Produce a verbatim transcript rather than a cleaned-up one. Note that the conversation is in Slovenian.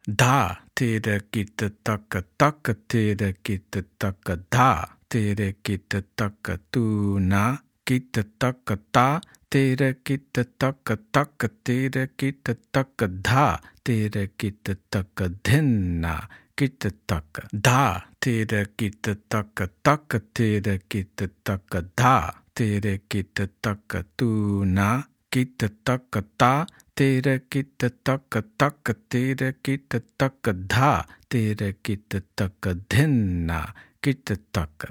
Da, tere kita taka taka tere kita taka da, tere kita taka tuna, kita taka ta, tere kita taka taka tere kita taka da, tere kita taka dhenna, kita taka da, tere kita taka taka tere kita taka da, tere kita taka tuna, kita taka ta, tere kita taka taka tere kita taka dha, tere kita taka dhenna, kita taka